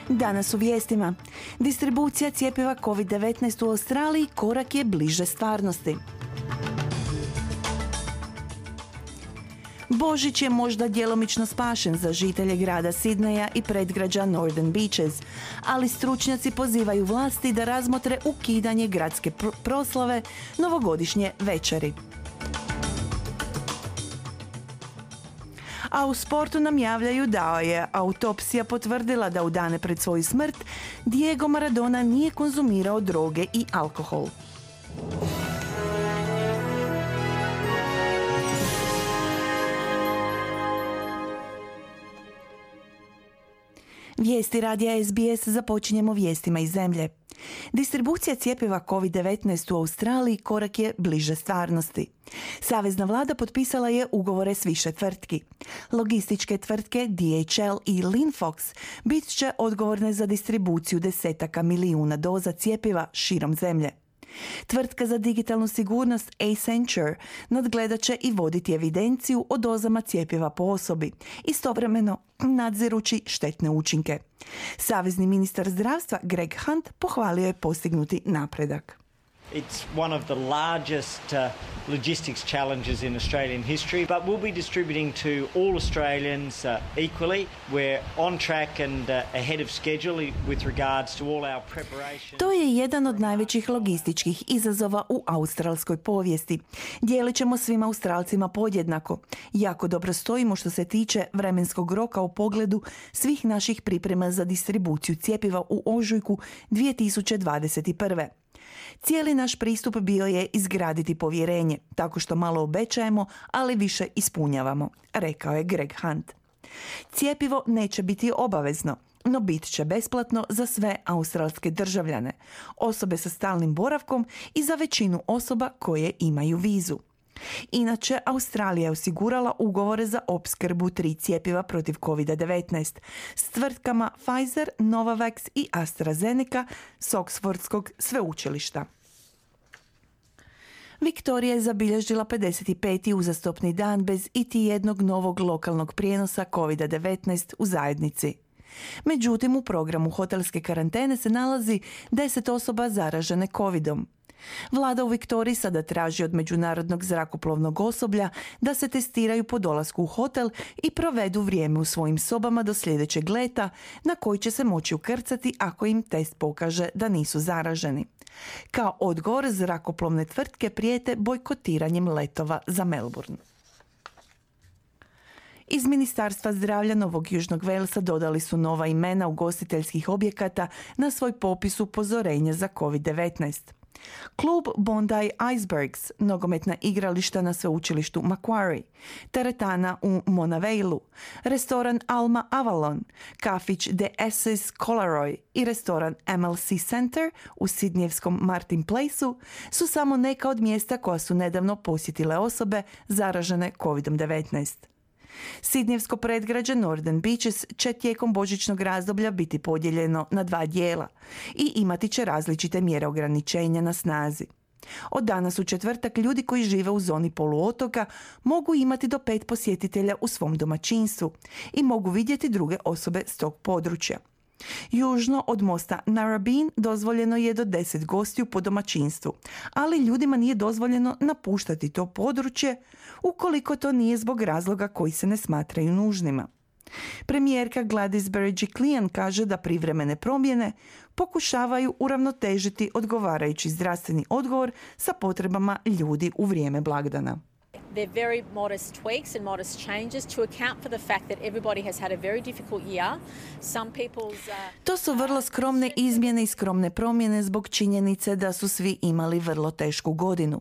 Danas u vijestima. Distribucija cjepiva COVID-19 u Australiji korak je bliže stvarnosti. Božić je možda djelomično spašen za žitelje grada Sidneja i predgrađa Northern Beaches, ali stručnjaci pozivaju vlasti da razmotre ukidanje gradske proslave novogodišnje večeri. A u sportu nam javljaju da je autopsija potvrdila da u dane pred svoju smrt Diego Maradona nije konzumirao droge i alkohol. Vijesti radija SBS započinjemo vijestima iz zemlje. Distribucija cjepiva COVID-19 u Australiji korak je bliže stvarnosti. Savezna vlada potpisala je ugovore s više tvrtki. Logističke tvrtke DHL i Linfox bit će odgovorne za distribuciju desetaka milijuna doza cjepiva širom zemlje. Tvrtka za digitalnu sigurnost Accenture nadgledat će i voditi evidenciju o dozama cjepiva po osobi, istovremeno nadzirući štetne učinke. Savezni ministar zdravstva Greg Hunt pohvalio je postignuti napredak. It's one of the largest logistics challenges in Australian history, but we'll be distributing to all Australians equally. We're on track and ahead of schedule with regards to all our preparation. To je jedan od najvećih logističkih izazova u australskoj povijesti. Dijelit ćemo svim Australcima podjednako. Jako dobro stojimo što se tiče vremenskog roka u pogledu svih naših priprema za distribuciju cjepiva u ožujku 2021. Cijeli naš pristup bio je izgraditi povjerenje, tako što malo obećajemo, ali više ispunjavamo, rekao je Greg Hunt. Cjepivo neće biti obavezno, no bit će besplatno za sve australske državljane, osobe sa stalnim boravkom i za većinu osoba koje imaju vizu. Inače, Australija je osigurala ugovore za opskrbu 3 cjepiva protiv COVID-19 s tvrtkama Pfizer, Novavax i AstraZeneca s Oxfordskog sveučilišta. Viktorija je zabilježila 55. uzastopni dan bez iti jednog novog lokalnog prijenosa COVID-19 u zajednici. Međutim, u programu hotelske karantene se nalazi 10 osoba zaražene COVID-om. Vlada u Viktoriji sada traži od međunarodnog zrakoplovnog osoblja da se testiraju po dolasku u hotel i provedu vrijeme u svojim sobama do sljedećeg leta na koji će se moći ukrcati ako im test pokaže da nisu zaraženi. Kao odgovor, zrakoplovne tvrtke prijete bojkotiranjem letova za Melbourne. Iz Ministarstva zdravlja Novog Južnog Walesa dodali su nova imena ugostiteljskih objekata na svoj popis upozorenja za COVID-19. Klub Bondi Icebergs, nogometna igrališta na sveučilištu Macquarie, teretana u Monavailu, restoran Alma Avalon, kafić The Esses Collaroy i restoran MLC Center u sidnijevskom Martin Placeu su samo neka od mjesta koja su nedavno posjetile osobe zaražene COVID-19. Sidnijevsko predgrađe Northern Beaches će tijekom božićnog razdoblja biti podijeljeno na 2 dijela i imati će različite mjere ograničenja na snazi. Od danas u četvrtak ljudi koji žive u zoni poluotoka mogu imati do 5 posjetitelja u svom domaćinstvu i mogu vidjeti druge osobe s tog područja. Južno od mosta Narrabeen dozvoljeno je do 10 gostiju po domaćinstvu, ali ljudima nije dozvoljeno napuštati to područje ukoliko to nije zbog razloga koji se ne smatraju nužnima. Premijerka Gladys Berejiklian kaže da privremene promjene pokušavaju uravnotežiti odgovarajući zdravstveni odgovor sa potrebama ljudi u vrijeme blagdana. They're very modest tweaks and modest changes to account for the fact that everybody has had a very difficult year. Some people's To su vrlo skromne izmjene i skromne promjene zbog činjenice da su svi imali vrlo tešku godinu.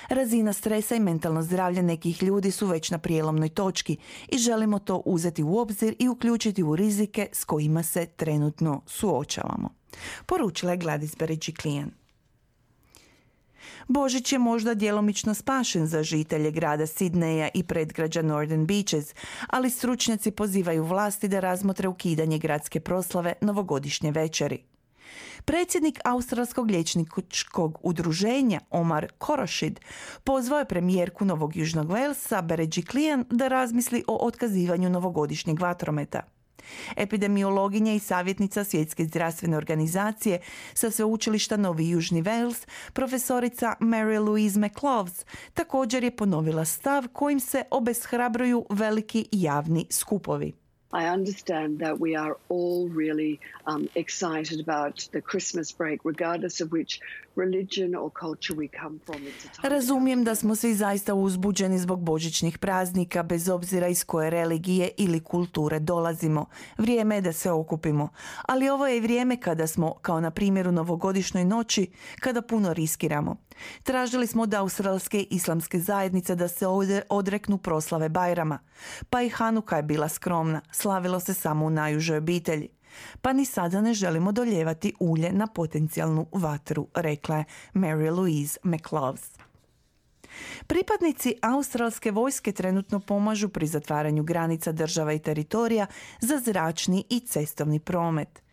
Razina stresa i mentalno zdravlje nekih ljudi su već na prijelomnoj točki i želimo to uzeti u obzir i uključiti u rizike s kojima se trenutno suočavamo, poručila je Gladys Berejiklian. Božić je možda djelomično spašen za žitelje grada Sidneja i predgrađa Northern Beaches, ali stručnjaci pozivaju vlasti da razmotre ukidanje gradske proslave novogodišnje večeri. Predsjednik Australskog liječničkog udruženja Omar Khorshid pozvao je premijerku Novog Južnog Walesa Berejiklian da razmisli o otkazivanju novogodišnjeg vatrometa. Epidemiologinja i savjetnica Svjetske zdravstvene organizacije sa sveučilišta Novi Južni Wales, profesorica Mary Louise McLaws, također je ponovila stav kojim se obeshrabruju veliki javni skupovi. I understand that we are all really excited about the Christmas break, regardless of which religion or culture we come from. Razumijem da smo svi zaista uzbuđeni zbog božićnih praznika, bez obzira iz koje religije ili kulture dolazimo. Vrijeme je da se okupimo. Ali ovo je i vrijeme kada smo, kao na primjer u novogodišnjoj noći, kada puno riskiramo. Tražili smo od australske islamske zajednice da se odreknu proslave Bajrama. Pa i Hanuka je bila skromna, slavilo se samo u najužoj obitelji. Pa ni sada ne želimo doljevati ulje na potencijalnu vatru, rekla je Mary Louise McLaws. Pripadnici australske vojske trenutno pomažu pri zatvaranju granica država i teritorija za zračni i cestovni promet.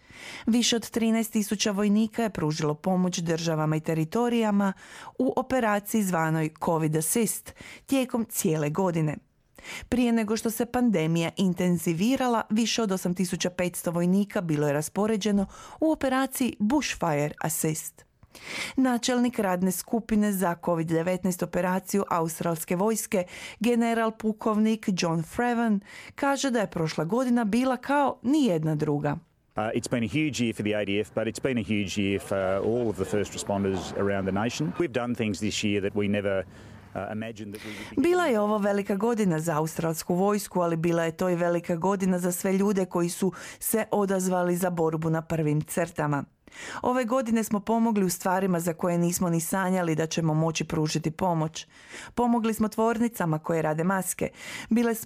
Više od 13.000 vojnika je pružilo pomoć državama i teritorijama u operaciji zvanoj COVID Assist tijekom cijele godine. Prije nego što se pandemija intenzivirala, više od 8.500 vojnika bilo je raspoređeno u operaciji Bushfire Assist. Načelnik radne skupine za COVID-19 operaciju australske vojske, general pukovnik John Freven, kaže da je prošla godina bila kao nijedna druga. It's been a huge year for the ADF, but it's been a huge year for all of the first responders around the nation. We've done things this year that we never imagined that we would be. Bila je ovo velika godina za australsku vojsku, ali bila je to i velika godina za sve ljude koji su se odazvali za borbu na prvim crtama. Ove godine smo pomogli u stvarima za koje nismo ni sanjali da ćemo moći pružiti pomoć. Pomogli smo tvornicama koje rade maske.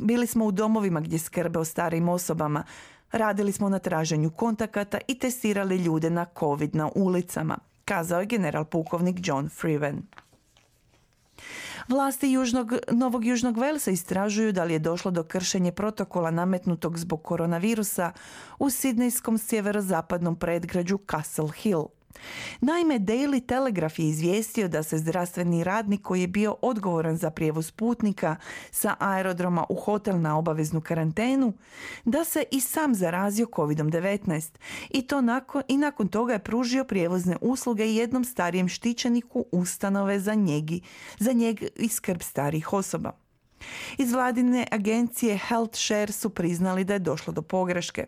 Bili smo u domovima gdje skrbe o starijim osobama. Radili smo na traženju kontakata i testirali ljude na COVID na ulicama, kazao je general pukovnik John Freven. Vlasti Novog Južnog Walesa istražuju da li je došlo do kršenja protokola nametnutog zbog koronavirusa u sidnejskom sjeverozapadnom predgrađu Castle Hill. Naime, Daily Telegraph je izvijestio da se zdravstveni radnik koji je bio odgovoran za prijevoz putnika sa aerodroma u hotel na obaveznu karantenu, da se i sam zarazio COVID-19 i nakon toga je pružio prijevozne usluge jednom starijem štićeniku ustanove za njeg i skrb starijih osoba. Iz vladine agencije Health Share su priznali da je došlo do pogreške.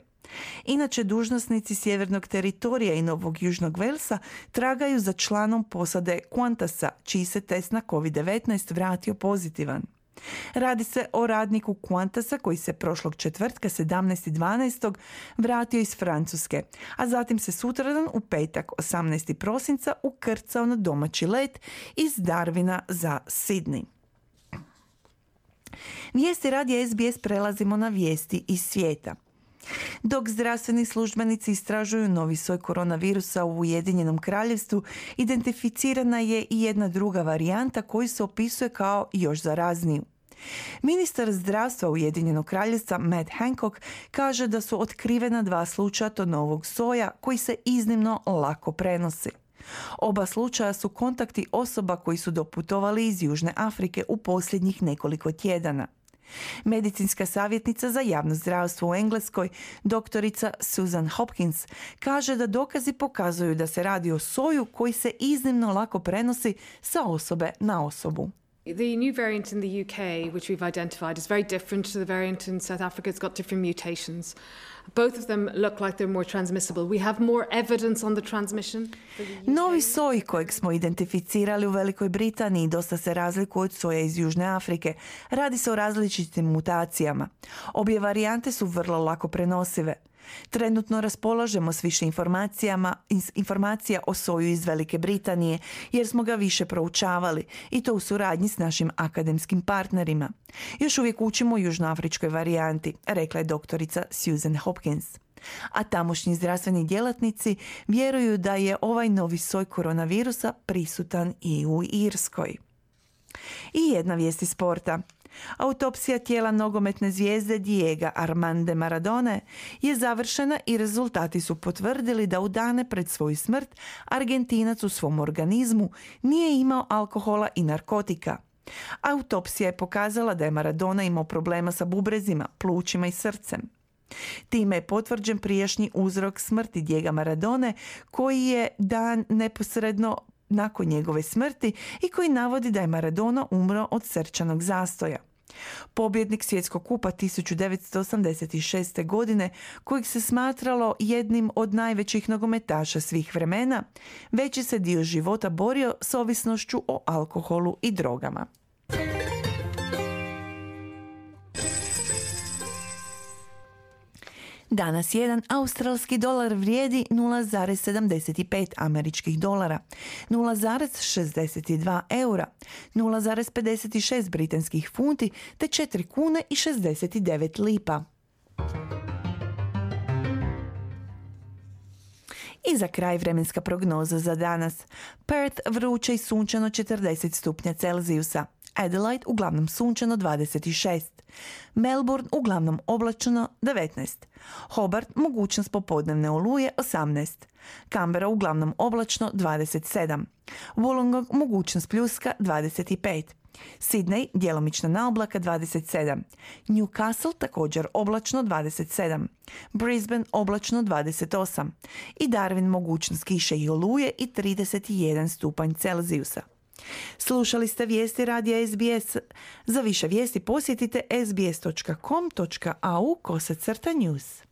Inače, dužnosnici sjevernog teritorija i Novog Južnog Walesa tragaju za članom posade Qantasa, čiji se test na COVID-19 vratio pozitivan. Radi se o radniku Qantasa koji se prošlog četvrtka 17.12. vratio iz Francuske, a zatim se sutradan u petak 18. prosinca ukrcao na domaći let iz Darwina za Sydney. Vijesti radija SBS prelazimo na vijesti iz svijeta. Dok zdravstveni službenici istražuju novi soj koronavirusa u Ujedinjenom Kraljevstvu, identificirana je i jedna druga varijanta koju se opisuje kao još zarazniju. Ministar zdravstva Ujedinjenog Kraljevstva Matt Hancock kaže da su otkrivena 2 slučaja tog novog soja koji se iznimno lako prenosi. Oba slučaja su kontakti osoba koji su doputovali iz Južne Afrike u posljednjih nekoliko tjedana. Medicinska savjetnica za javno zdravstvo u Engleskoj, doktorica Susan Hopkins, kaže da dokazi pokazuju da se radi o soju koji se iznimno lako prenosi sa osobe na osobu. The new variant in the UK, which we've identified, is very different to the variant in South Africa. It's got different mutations. Both of them look like they're more transmissible. We have more evidence on the transmission. Novi soj kojeg smo identificirali u Velikoj Britaniji dosta se razlikuje od soja iz Južne Afrike. Radi se o različitim mutacijama. Obje varijante su vrlo lako prenosive. Trenutno raspolažemo s više informacija o soju iz Velike Britanije jer smo ga više proučavali i to u suradnji s našim akademskim partnerima. Još uvijek učimo o južnoafričkoj varijanti, rekla je doktorica Susan Hopkins. A tamošnji zdravstveni djelatnici vjeruju da je ovaj novi soj koronavirusa prisutan i u Irskoj. I jedna vijest iz sporta. Autopsija tijela nogometne zvijezde Diego Armando Maradone je završena i rezultati su potvrdili da u dane pred svoju smrt Argentinac u svom organizmu nije imao alkohola i narkotika. Autopsija je pokazala da je Maradona imao problema sa bubrezima, plućima i srcem. Time je potvrđen prijašnji uzrok smrti Diega Maradone, koji je dan neposredno nakon njegove smrti i koji navodi da je Maradona umro od srčanog zastoja. Pobjednik svjetskog kupa 1986. godine, kojeg se smatralo jednim od najvećih nogometaša svih vremena, veći se dio života borio s ovisnošću o alkoholu i drogama. Danas jedan australski dolar vrijedi 0,75 američkih dolara, 0,62 eura, 0,56 britanskih funti te 4 kune i 69 lipa. I za kraj vremenska prognoza za danas. Perth vruće i sunčano 40 stupnja Celzijusa. Adelaide uglavnom sunčano 26. Melbourne uglavnom oblačno 19. Hobart mogućnost popodnevne oluje 18. Canberra uglavnom oblačno 27. Wollongong mogućnost pljuska 25. Sydney djelomična naoblaka 27. Newcastle također oblačno 27. Brisbane oblačno 28. I Darwin mogućnost kiše i oluje i 31 stupanj Celzijusa. Slušali ste vijesti radija SBS. Za više vijesti posjetite sbs.com.au/news.